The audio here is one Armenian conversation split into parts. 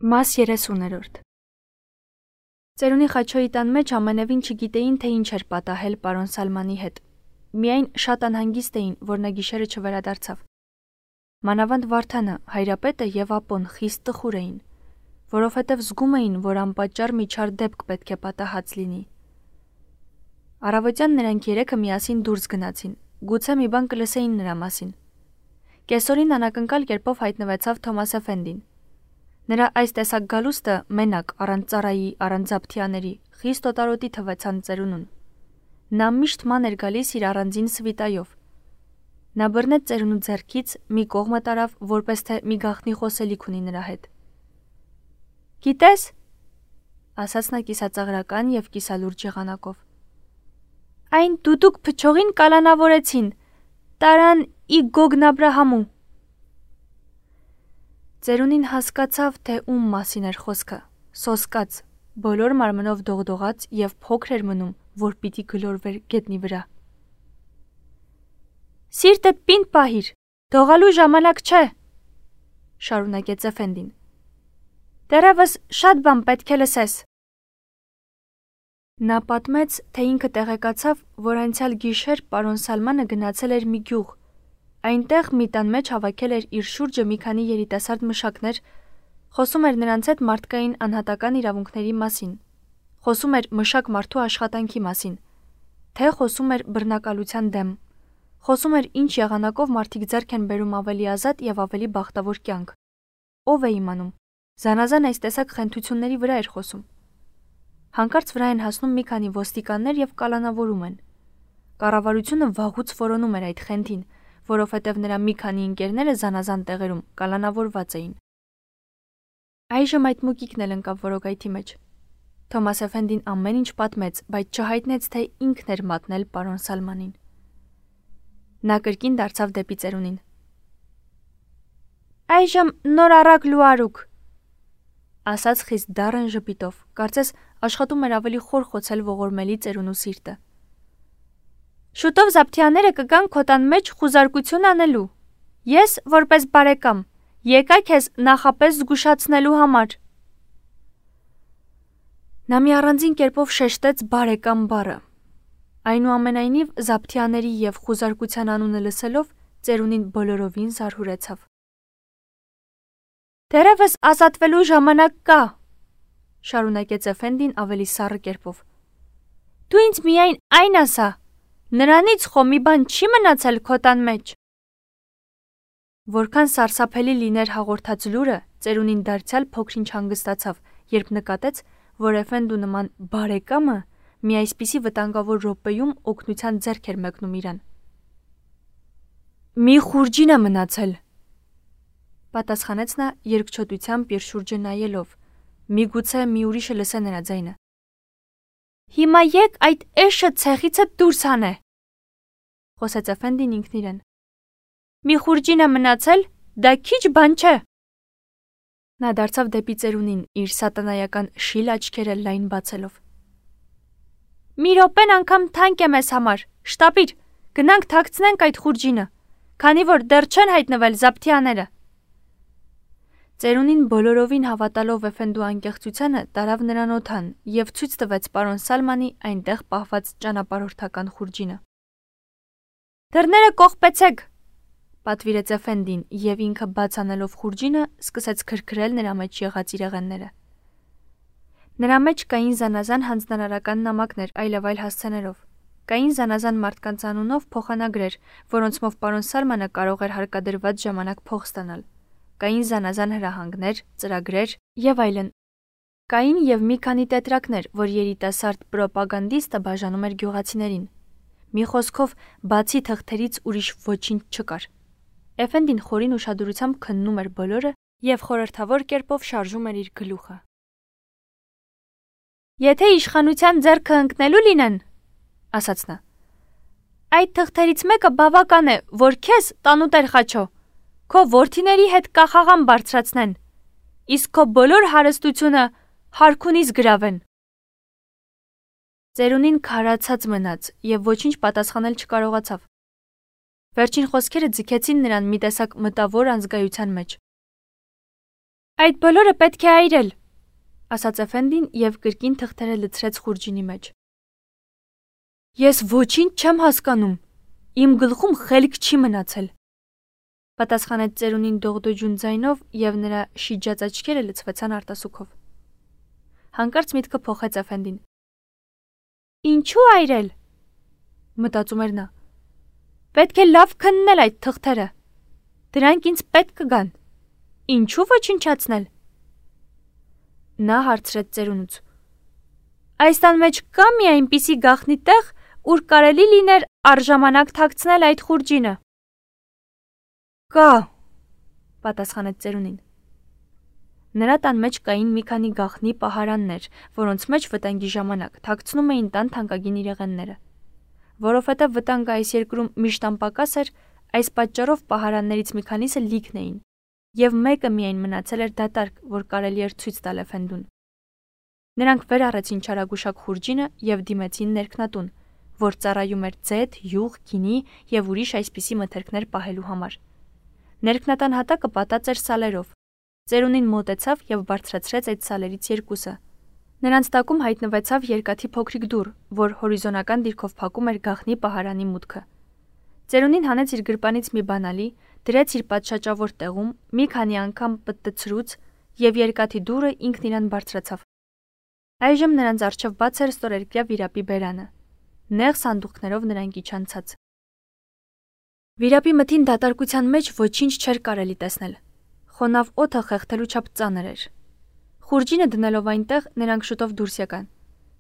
Մաս 30-րդ Ծերունի Խաչոյի տան մեջ ամենևին չգիտեին, թե ինչ էր պատահել պարոն Սալմանի հետ։ Միայն շատ անհանգիստ էին, որ նա գիշերը չվերադարձավ։ Մանավանդ Վարդանը, Հայրապետը և Ապոն խիստ տխուր էին, որովհետև զգում էին, որ անպատճառ մի չար դեպք պետք է պատահած լինի։ Առավոտյան նրանք երեքը միասին դուրս գնացին, գուցե մի բան կլսեին նրա մասին։ Կեսօրին անակնկալ կերպով հայտնվեցավ Թոմաս Էֆենդին։ Նրա այս տեսակ գալուստը մենակ, առանց ծառայի, առանց Զաբթյանների, խիստ օտարոտի թվեցան ծերունուն։ Նա միշտ ման էր գալիս իր առանձին սվիտայով։ Նա բռնեց ծերունու ձեռքից, մի կողմը տարավ, որպես թե մի գաղտնի խոսելիք ունի նրա հետ։ «Գիտես», ասաց նա կիսածաղրական և կիսալուրջ եղանակով, «այն դուդուկ փչողին կալանավորեցին, տարան ի Գոգն Աբրահամու»։ Ծերունին հասկացավ, թե ում մասին էր խոսքը, սոսկաց, բոլոր մարմնով դողդողաց և փոքր էր մնում, որ պիտի գլորվեր գետնի վրա։ «Սիրտդ պինդ պահիր, դողալու ժամանակ չէ», շարունակեց Էֆենդին։ «Դեռևս շատ բան պետք է լսես»։ Նա պատմեց, թե ինքը տեղեկացավ, որ անցյալ գիշեր պարոն Սալմանը գնացել էր մի գյուղ։ Այնտեղ մի տան մեջ հավաքել էր իր շուրջը մի քանի երիտասարդ մշակներ, խոսում էր նրանց հետ մարդկային անհատական իրավունքների մասին, խոսում էր մշակ մարդու աշխատանքի մասին, թե խոսում էր բռնակալության դեմ, խոսում էր ինչ եղանակով մարդիկ ձեռք են բերում ավելի ազատ և ավելի բախտավոր կյանք։ Ով է իմանում, զանազան այս տեսակ խենթությունների վրա էր խոսում։ Հանկարծ վրա են հասնում մի քանի ոստիկաններ և կալանավորում են։ Կառավարությունը վաղուց որոնում էր այդ խենթին, որովհետև նրա մի քանի ընկերները զանազան տեղերում կալանավորված էին։ Այժմ այդ մուկիկն էլ ընկավ որոգայթի մեջ։ Թոմաս Էֆենդին ամեն ինչ պատմեց, բայց չհայտնեց, թե ինքն էր մատնել պարոն Սալմանին։ Նա կրկին դարձավ դեպի ծերունին։ «Այժմ նոր առակ լուարուկ», ասաց խիստ դառն ժպիտով, կարծես աշխատում էր ավելի խոր խոցել ողորմելի ծերունու սիրտը։ «Շուտով Զաբթյանները կգան քո տան մեջ խուզարկություն անելու։ Ես, որպես բարեկամ, եկա քեզ նախապես զգուշացնելու համար»։ Նա մի առանձին կերպով շեշտեց բարեկամ բառը։ Այնուամենայնիվ Զաբթյանների և խուզարկության անունը լսելով ծերունին բոլորովին զարհուրեցավ։ «Դեռևս ազատվելու ժամանակ կա», շարունակեց Էֆենդին ավելի սառը կերպով։ «Դու ինձ միայն այն ասա, նրանից խո մի բան չի մնացել քո տան մեջ»։ Որքան սարսափելի լիներ հաղորդած լուրը, ծերունին դարձյալ փոքր-ինչ հանգստացավ, երբ նկատեց, որ Էֆենդու նման բարեկամը մի այսպիսի վտանգավոր րոպեում օգնության ձեռք էր մեկնում իրան։ «Մի խուրջին է մնացել», պատասխանեց նա երկչոտությամբ իր շուրջը նայելով, միգուցե մի ուրիշը լսե նրա ձայնը։ «Հիմա եկ այդ էշը ցեղիցդ դուրս հանե», խոսեց Էֆենդին ինքն իրեն։ «Մի խուրջին է մնացել, դա քիչ բան չէ»։ Նա դարձավ դեպի ծերունին, իր սատանայական շիլ աչքերը լայն բացելով։ «Մի րոպեն անգամ թանկ է մեզ համար, շտապիր, գնանք թաքցնենք այդ խուրջինը, քանի որ դեռ չեն հայտնվել Զաբթյանները»։ Ծերունին բոլորովին հավատալով Էֆենդու անկեղծությանը տարավ նրան օդան և ցույց տվեց պարոն Սալմանի այնտեղ պահված ճանապարհորդական խուրջինը։ «Դռները կողպեցեք», պատվիրեց Էֆենդին և ինքը բաց անելով խուրջինը սկսեց քրքրել նրա մեջ եղած իրեղենները։ Նրա մեջ կային զանազան հանձնարարական նամակներ այլևայլ հասցեներով, կային զանազան մարդկանց անունով փոխանագրեր, որոնցմով պարոն Սալմանը կարող էր հարկադրված ժամանակ փող ստանալ, կային զանազան հրահանգներ, ծրագրեր և այլն։ Կային և մի քանի տետրակներ, որ երիտասարդ պրոպագանդիստը բաժանում էր գյուղացիներին։ Մի խոսքով, բացի թղթերից ուրիշ ոչինչ չկար։ Էֆենդին խորին ուշադրությամբ քննում էր բոլորը և խորհրդավոր կերպով շարժում էր իր գլուխը։ «Եթե իշխանության ձեռքը ընկնելու լինեն, ասաց նա, այդ թղթերից մեկը բավական է, որ քեզ, տանուտեր Խաչո, քո որդիների հետ կախաղան բարձրացնեն, իսկ քո բոլոր հարստությունը հարքունից գրավեն»։ Ծերունին քարացած մնաց և ոչինչ պատասխանել չկարողացավ։ Վերջին խոսքերը ձգեցին նրան մի տեսակ մտավոր անզգայության մեջ։ Այդ բոլորը պետք է այրել, ասաց Էֆենդին եւ կրկին թղթերը լցրեց խուրջինի մեջ։ Ես ոչինչ չեմ հասկանում, իմ գլխում խելք չի մնացել, պատասխանեց ծերունին դողդոջուն ձայնով եւ նրա շիջած աչքերը լցվեցան արտասուքով։ Հանկարծ միտքը փոխեց Էֆենդին։ Ինչու այրել, մտածում էր նա։ Պետք է լավ քննել այդ թղթերը, դրանք ինձ պետք կգան, ինչու ոչնչացնել։ Նա հարցրեց ծերունուց. Այս տան մեջ կա մի այնպիսի գաղտնի տեղ, ուր կարելի լիներ առժամանակ թաքցնել այդ խուրջինը։ Կա, պատասխանեց ծերունին։ Նրա տան մեջ կային մի քանի գաղտնի պահարաններ, որոնց մեջ վտանգի ժամանակ թաքցնում էին տան թանկագին իրեղենները։ Որովհետև վտանգը այս երկրում միշտ անպակաս էր, այս պատճառով պահարաններից մի քանիսը լիքն էին, եւ մեկը միայն մնացել էր դատարկ, որ կարելի էր ցույց տալ Էֆենդուն։ Նրանք վեր առեցին չարագուշակ խուրջինը եւ դիմեցին ներքնատուն, որ ծառայում էր ձեթ, յուղ, գինի եւ ուրիշ այսպիսի մթերքներ պահելու համար։ Ներքնատան հատակը պատած էր սալերով։ Ծերունին մոտեցավ եւ բարձրացրեց այդ սալերից երկուսը։ Նրանց տակում հայտնվեցավ երկաթի փոքրիկ դուռ, որ հորիզոնական դիրքով փակում էր գաղտնի պահարանի մուտքը։ Ծերունին հանեց իր գրպանից մի բանալի, դրեց իր պատշաճավոր տեղում, մի քանի անգամ պտտցրուց եւ երկաթի դուռը ինքն իրան բարձրացավ։ Այժմ նրանց առջև բաց էր ստորերկրյա վիրապի բերանը։ Նեղ սանդուղքներով նրանք իջան ցած։ Վիրապի մթին դատարկության մեջ ոչինչ չէր կարելի տեսնել։ Խոնավ օդը խեղդելու չափ ծանր էր։ Խուրջինը դնելով այնտեղ նրանք շուտով դուրս եկան։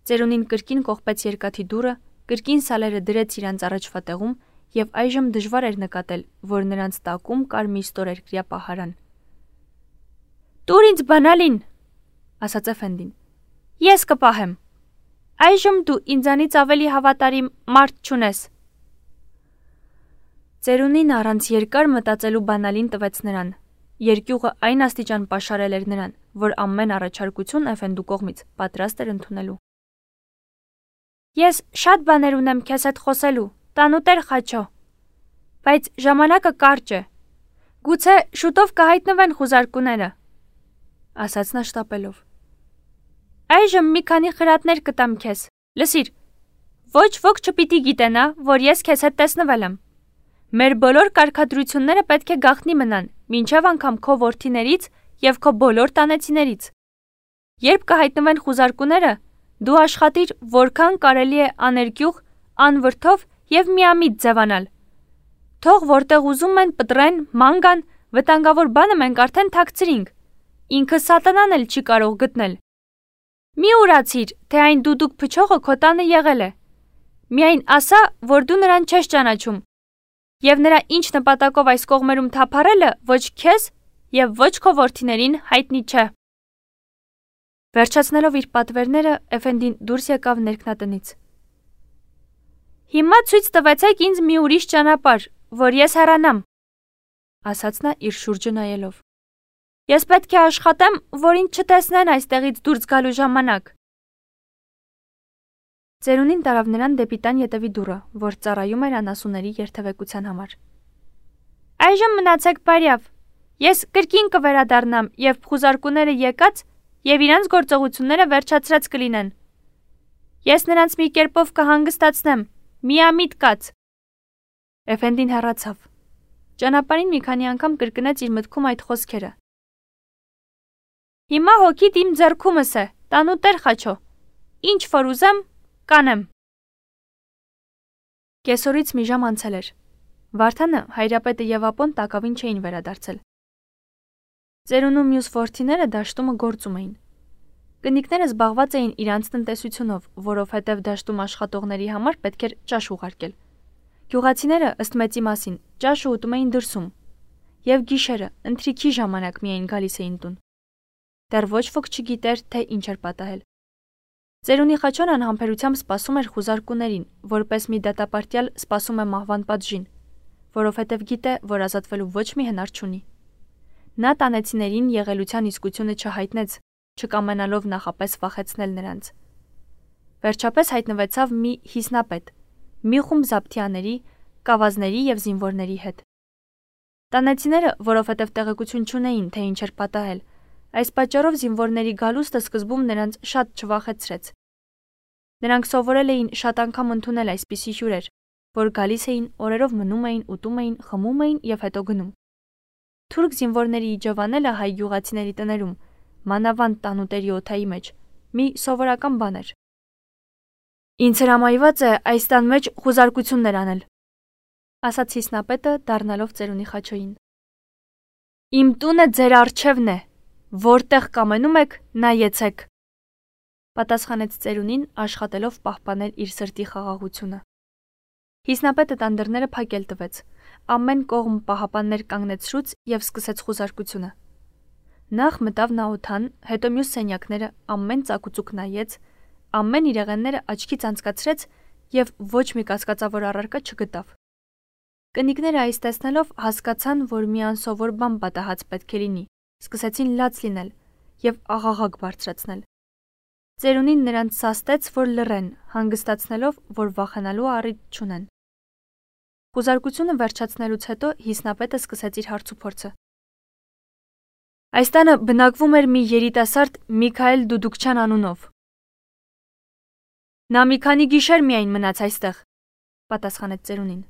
Ծերունին կրկին կողպեց երկաթի դուռը, կրկին սալերը դրեց իրանց առաջվա տեղում եւ այժմ դժվար էր նկատել, որ նրանց տակում կար մի ստորերկրյա պահարան։ Տուր ինձ բանալին, ասաց Էֆենդին։ Ես կպահեմ։ Այժմ դու ինձանից ավելի հավատարիմ մարդ չունես։ Ծերունին առանց երկար մտածելու բանալին տվեց նրան։ Երկյուղը այն աստիճան պաշարել էր նրան, որ ամեն առաջարկություն Էֆենդու կողմից պատրաստ էր ընդունելու։ Ես շատ բաներ ունեմ քեզ հետ խոսելու, տանուտեր Խաչո, բայց ժամանակը կարճ է։ Գուցե շուտով կհայտնվեն խուզարկուները, ասաց նա շտապելով։ Այժմ մի քանի խրատներ կտամ քեզ։ Լսիր, ոչ ոք չպիտի գիտենա, որ ես քեզ հետ տեսնվել եմ։ Մեր բոլոր կարգադրությունները պետք է գաղտնի մնան, մինչև անգամ քո որդիներից եւ քո բոլոր տանեցիներից։ Երբ կհայտնվեն խուզարկուները, դու աշխատիր, որքան կարելի է աներկյուղ, անվրդով եւ միամիտ ձևանալ։ Թող որտեղ ուզում են պտրեն, ման գան, վտանգավոր բանը մենք արդեն թաքցրինք։ Ինքը սատանան էլ չի կարող գտնել։ Մի ուրացիր, թե այն դուդուկ փչողը քո տանը եղել է։ Միայն ասա, որ դու նրան չես ճանաչում։ Եվ նրա ինչ նպատակով այս կողմերում թափառելը ոչ քեզ եւ ոչ քո որդիներին հայտնի չէ։ Վերջացնելով իր պատվերները, Էֆենդին դուրս եկավ ներքնատնից։ Հիմա ցույց տվեցեք ինձ մի ուրիշ ճանապարհ, որ ես հեռանամ, ասաց նա իր շուրջը նայելով։ Ես պետք է աշխատեմ, որ ինձ չտեսնեն այստեղից դուրս գալու ժամանակ։ Ծերունին տարավ նրան դեպի տան ետևի դուռը, որ ծառայում էր անասունների երթևեկության համար։ Այժմ մնացեք բարյավ։ Ես կրկին կվերադառնամ, երբ խուզարկուները եկած եւ իրանց գործողությունները վերջացրած կլինեն։ Ես նրանց մի կերպով կհանգստացնեմ, միամիտ կաց։ Էֆենդին հեռացավ։ Ճանապարհին մի քանի անգամ կրկնեց իր մտքում այդ խոսքերը։ Հիմա հոգիդ իմ ձեռքումս է, տանուտեր Խաչո։ Ինչ որ ուզեմ, կանեմ։ Կեսօրից մի ժամ անցել էր։ Վարդանը, հայրապետը եւ ապոն տակավին չէին վերադարձել։ Ծերունու մյուս որդիները դաշտումը գործում էին։ Կնիկները զբաղված էին իրանց տնտեսությունով, որովհետև դաշտում աշխատողների համար պետք էր ճաշ ուղարկել։ Գյուղացիները ըստ մեծի մասին ճաշը ուտում էին դրսում, եւ գիշերը ընթրիքի ժամանակ միայն գալիս էին տուն։ Դեռ ոչ ոք չգիտեր, թե ինչ էր պատահել։ Ծերունի Խաչոն անհամբերությամբ սպասում էր խուզարկուներին, որպես մի դատապարտյալ սպասում է մահվան պատժին, որովհետև գիտե, որ ազատվելու ոչ մի հնար չունի։ Նա տանեցիներին եղելության իսկությունը չհայտնեց, չկամենալով նախապես վախեցնել նրանց։ Վերջապես հայտնվեցավ մի հիսնապետ, մի խումբ զապթյաների, կավազների եւ զինվորների հետ։ Տանեցիները, որովհետև տեղեկություն չունեին, թե ինչ էր պատահել, Այս պատճառով զինվորների գալուստը սկզբում նրանց շատ չվախեցրեց։ Նրանք սովորել էին շատ անգամ ընդունել այսպիսի հյուրեր, որ գալիս էին, օրերով մնում էին, ուտում էին, խմում էին եւ հետո գնում։ Թուրք զինվորների իջևանելը հայ գյուղացիների տներում, մանավանդ տանուտերի օթայի մեջ, մի սովորական բան էր։ Ինձ հրամայված է այս տան մեջ խուզարկություններ անել, ասաց Հիսնապետը, դառնալով ծերունի Խաչոյին։ Իմ տունը ձեր առջևն է, որտեղ կամենում եք, նայեցեք, պատասխանեց ծերունին, աշխատելով պահպանել իր սրտի խաղաղությունը։ Հիսնապետը տան դռները փակել տվեց, ամեն կողմ պահապաններ կանգնեցրուց եւ սկսեց խուզարկությունը։ Նախ մտավ նա օթան, հետո մյուս սենյակները ամեն ծակուցուկ նայեց, ամեն իրեղենները աչքից անցկացրեց եւ ոչ մի կասկածավոր առարկա չգտավ։ Կնիկները այս տեսնելով հասկացան, որ մի անսովոր բան պատահած պետք է լինի, սկսեցին լաց լինել եւ աղաղակ բարձրացնել։ Ծերունին նրանց սաստեց, որ լռեն, հանգստացնելով, որ վախենալու առիթ չունեն։ Խուզարկությունը վերջացնելուց հետո Հիսնապետը սկսեց իր հարցուփորձը։ Այս տանը բնակվում էր մի երիտասարդ Միքայել Դուդուկչյան անունով։ Նա մի քանի գիշեր միայն մնաց այստեղ, պատասխանեց ծերունին։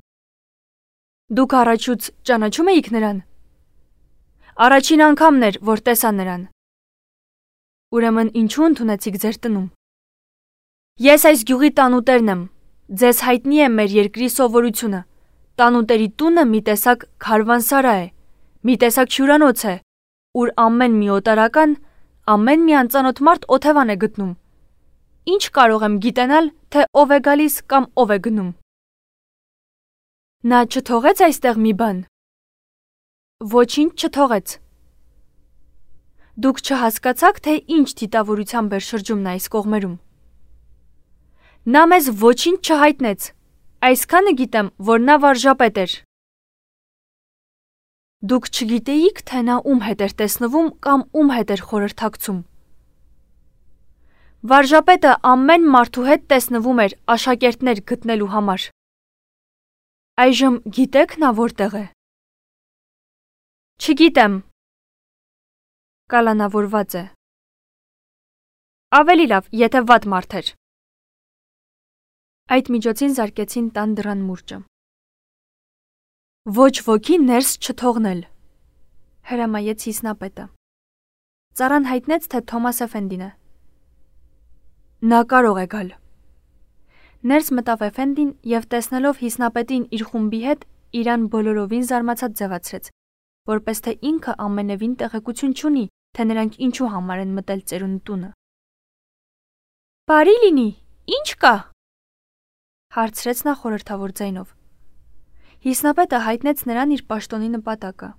Դուք առաջուց ճանաչում էիք նրան։ Առաջին անգամն էր, որ տեսա նրան։ Ուրեմն ինչու ընդունեցիք ձեր տնում։ Ես այս գյուղի տանուտերն եմ։ Ձեզ հայտնի է մեր երկրի սովորությունը։ Տանուտերի տունը մի տեսակ քարվանսարա է, մի տեսակ հյուրանոց է, ուր ամեն մի օտարական, ամեն մի անծանոթ մարդ օթևան է գտնում։ Ինչ կարող եմ գիտենալ, թե ով է գալիս կամ ով է գնում։ Նա չթողեց այստեղ մի բան։ Ոչինչ չթողեց։ Դուք չհասկացաք, թե ինչ դիտավորությամբ էր շրջում նա այս կողմերում։ Նա մեզ ոչինչ չհայտնեց, այսքանը գիտեմ, որ նա վարժապետ էր։ Դուք չգիտեիք, թե նա ում հետ էր տեսնվում կամ ում հետ էր խորհրդակցում։ Վարժապետը ամեն մարդու հետ տեսնվում էր աշակերտներ գտնելու համար։ Այժմ գիտեք նա որտեղ է։ Չգիտեմ։ Կալանավորված է։ Ավելի լավ, եթե վատ մարդ էր։ Այդ միջոցին զարկեցին տան դռան մուրճը։ Ոչ ոքի ներս չթողնել, հրամայեց Հիսնապետը։ Ծառան հայտնեց, թե Թոմաս Էֆենդին է։ Նա կարող է գալ։ Ներս մտավ Էֆենդին եւ տեսնելով Հիսնապետին իր խումբի հետ, իրան բոլորովին զարմացած ձևացրեց, որպես թե ինքը ամենևին տեղեկություն չունի, թե նրանք ինչու համար են մտել ծերունի տունը։ Բարի լինի, ինչ կա։ Հարցրեց նա խորհրդավոր ձայնով։ Հիսնապետը հայտնեց նրան իր պաշտոնի նպատակը։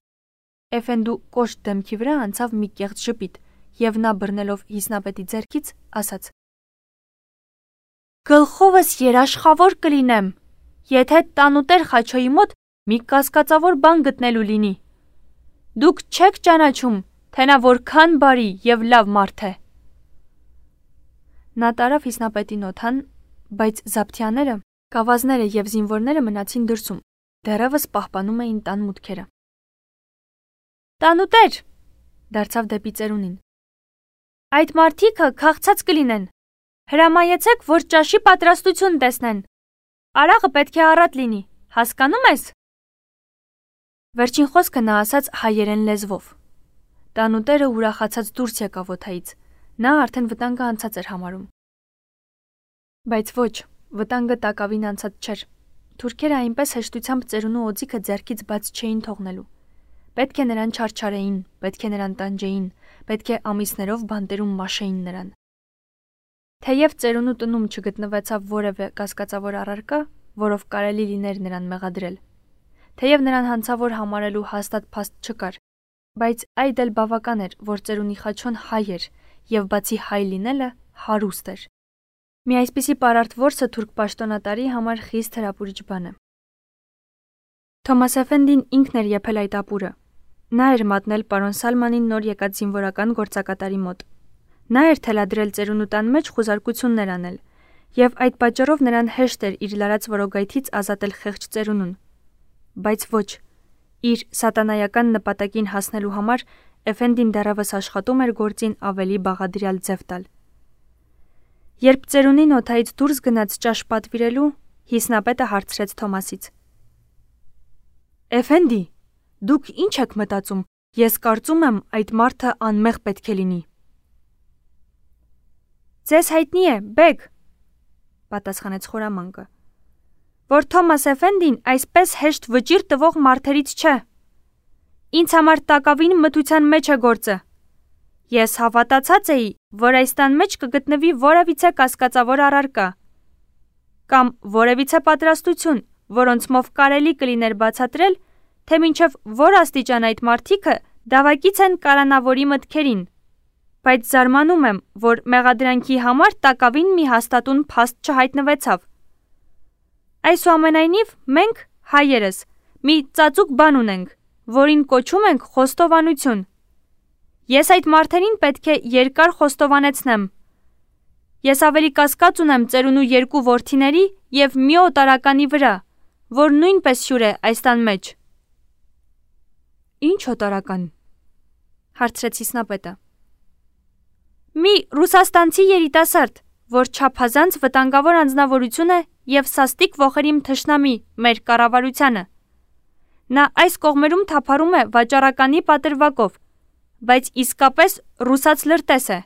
Էֆենդու կոշտ դեմքի վրա անցավ մի կեղծ ժպիտ, եւ նա բռնելով Հիսնապետի ձեռքից ասաց. Գլխովս երաշխավոր կլինեմ, եթե տանուտեր Խաչոյի մոտ մի կասկածավոր բան գտնելու լինի։ Դուք չեք ճանաչում, թե նա որքան բարի եւ լավ մարդ է։ Նա տարավ Հիսնապետին օթան, բայց զապթյաները, կավազները եւ զինվորները մնացին դրսում, դեռևս պահպանում էին տան մուտքերը։ Տանուտեր, դարձավ դեպի ծերունին։ Այդ մարդիկը քաղցած կլինեն։ Հրամայեցեք, որ ճաշի պատրաստություն տեսնեն։ Արաղը պետք է առատ լինի, հասկանում ես։ Վերջին խոսքը նա ասաց հայերեն լեզվով։ Տանուտերը ուրախացած դուրս եկավ օթայից։ Նա արդեն վտանգը անցած էր համարում։ Բայց ոչ, վտանգը տակավին անցած չէր։ Թուրքերը այնպես հեշտությամբ ծերունու օձիքը ձեռքից բաց չէին թողնելու։ Պետք է նրան չարչարեին, պետք է նրան տանջեին, պետք է ամիսներով բանտերում մաշեին նրան։ Թեև ծերունու տնում չգտնվեցավ որևէ կասկածավոր առարկա, որով կարելի լիներ նրան մեղադրել։ Թեև նրան հանցավոր համարելու հաստատ փաստ չկար, բայց այդ էլ բավական էր, որ ծերունի Խաչոն հայ էր, եւ բացի հայ լինելը հարուստ էր։ Մի այսպիսի պարարտ որսը թուրք պաշտոնատարի համար խիստ հրապուրիչ բան է։ Թոմաս Էֆենդին ինքն էր եփել այդ ապուրը։ Նա էր մատնել պարոն Սալմանին նոր եկած զինվորական գործակատարի մոտ։ Նա էր թելադրել ծերունու տան մեջ խուզարկություններ անել, եւ այդ պատճառով նրան հեշտ էր իր լարած որոգայթից ազատել խեղճ ծերունուն։ Բայց ոչ, իր սատանայական նպատակին հասնելու համար Էֆենդին դեռևս աշխատում էր գործին ավելի բաղադրյալ ձև տալ։ Երբ ծերունին օդայից դուրս գնաց ճաշ պատվիրելու, Հիսնապետը հարցրեց Թոմասից. Էֆենդի, դուք ինչ եք մտածում, ես կարծում եմ այդ մարդը անմեղ պետք է լինի։ Ձեզ հայտնի է, բեգ, պատասխանեց խորամանկը, որ Թոմաս Էֆենդին այսպես հեշտ վճիռ տվող մարդերից չէ։ Ինձ համար տակավին մթության մեջ է գործը։ Ես հավատացած էի, որ այս տան մեջ կգտնվի որևիցե կասկածավոր առարկա կամ որևիցե պատրաստություն, որոնցմով կարելի կլիներ բացատրել, թե մինչև որ աստիճան այդ մարդիկը դավակից են կալանավորի մտքերին, բայց զարմանում եմ, որ մեղադրանքի համար տակավին մի հաստատուն փաստ չհայտնվեցավ։ Այսուամենայնիվ մենք, հայերս, մի ծածուկ բան ունենք, որին կոչում ենք խոստովանություն։ Ես այդ մարդերին պետք է երկար խոստովանեցնեմ։ Ես ավելի կասկած ունեմ ծերունու 2 որդիների և մի օտարականի վրա, որ նույնպես հյուր է այս տան մեջ։ Ինչ օտարական, հարցրեց Հիսնապետը։ Մի ռուսաստանցի երիտասարդ, որ չափազանց վտանգավոր անձնավորություն է և սաստիկ ոխերիմ թշնամի մեր կառավարությանը։ Նա այս կողմերում թափառում է վաճառականի պատրվակով, բայց իսկապես ռուսաց լրտես է։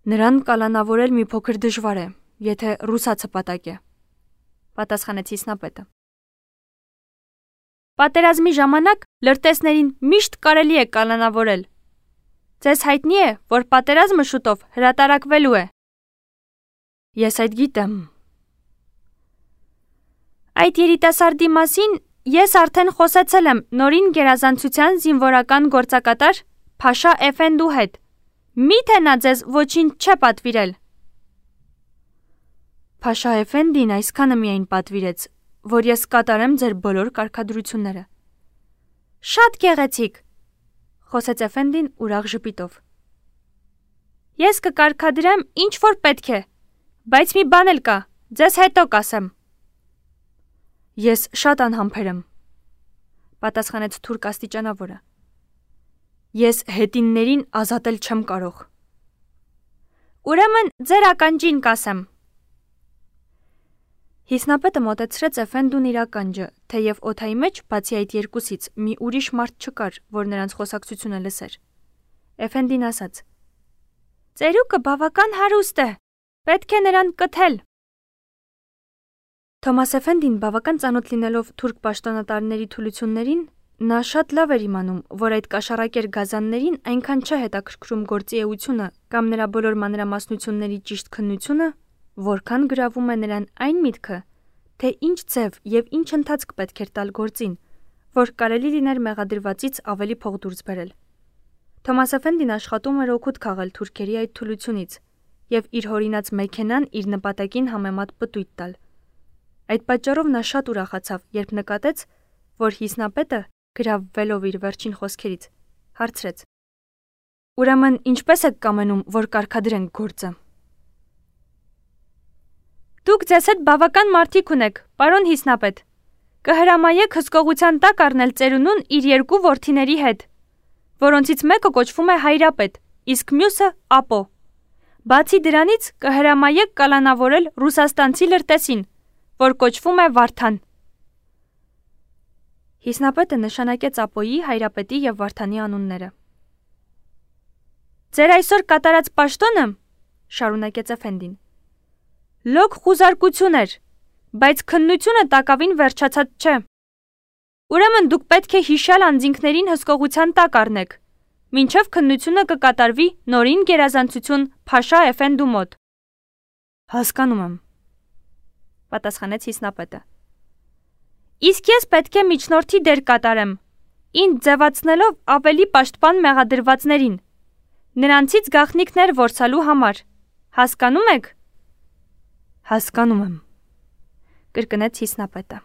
Նրան կալանավորել մի փոքր դժվար է, եթե ռուսացը պատակ է, պատասխանեց Հիսնապետը։ Պատերազմի ժամանակ լրտեսներին միշտ կարելի է կալանավորել։ Ձեզ հայտնի է, որ պատերազմը շուտով հրատարակվելու է։ Ես այդ գիտեմ։ Այդ երիտասարդի մասին ես արդեն խոսեցել եմ նորին գերազանցության զինվորական գործակատար Փաշա Էֆենդու հետ։ Միթե նա ձեզ ոչինչ չէ պատվիրել։ Փաշա Էֆենդին այսքանը միայն պատվիրեց, որ ես կատարեմ ձեր բոլոր կարգադրությունները։ Շատ գեղեցիկ, խոսեց Էֆենդին ուրախ ժպիտով։ Ես կկարգադրեմ ինչ որ պետք է, բայց մի բան էլ կա, ձեզ հետո կասեմ։ Ես շատ անհամբեր եմ, պատասխանեց թուրք աստիճանավորը։ Ես հետիններին ազատել չեմ կարող։ Ուրեմն ձեր ականջին կասեմ։ Հիսնապետը մոտեցրեց Էֆենդուն իր ականջը, թեև օդայի մեջ, բացի այդ երկուսից, մի ուրիշ մարդ չկար, որ նրանց խոսակցությունը լսեր։ Էֆենդին ասաց. Ծերուկը բավական հարուստ է, պետք է նրան կթել։ Թոմաս Էֆենդին բավական ծանոթ լինելով թուրք պաշտոնատարների թուլություններին, նա շատ լավ էր իմանում, որ այդ կաշառակեր գազաններին այնքան չէ հետաքրքրում գործի էությունը կամ նրա բոլոր մանրամասնությունների ճիշտ քննությունը, որքան գրավում է նրան այն միտքը, թե ինչ ձև և ինչ ընթացք պետք էր տալ գործին, որ կարելի լիներ մեղադրվածից ավելի փող դուրս բերել։ Թոմաս Էֆենդին աշխատում էր օգուտ քաղել թուրքերի այդ թուլությունից և իր հորինած մեքենան իր նպատակին համեմատ պտույտ տալ։ Այդ պատճառով նա շատ ուրախացավ, երբ նկատեց, որ Հիսնապետը, գրավվելով իր վերջին խոսքերից, հարցրեց. Ուրեմն ինչպես եք կամենում, որ կարգադրենք գործը։ Դուք ձեզ հետ բավական մարդիկ ունեք, պարոն Հիսնապետ։ Կհրամայեք հսկողության տակ առնել ծերունուն իր 2 որդիների հետ, որոնցից մեկը կոչվում է Հայրապետ, իսկ մյուսը Ապո։ Բացի դրանից կհրամայեք կալանավորել ռուսաստանցի լրտեսին, որ կոչվում է Վարդան։ Հիսնապետը նշանակեց Ապոյի, Հայրապետի և Վարդանի անունները։ Ձեր այսօր կատարած պաշտոնը, շարունակեց Էֆենդին, լոկ խուզարկություն էր, բայց քննությունը տակավին վերջացած չէ։ Ուրեմն դուք պետք է հիշյալ անձինքներին հսկողության տակ առնեք, մինչև քննությունը կկատարվի նորին գերազանցություն Փաշա Էֆենդու մոտ։ Հասկանում եմ, պատասխանեց Հիսնապետը։ Իսկ ես պետք է միջնորդի դեր կատարեմ, ինձ ձևացնելով ավելի պաշտպան մեղադրվածներին, նրանցից գաղտնիքներ որսալու համար։ Հասկանում եք։ Հասկանում եմ, կրկնեց Հիսնապետը։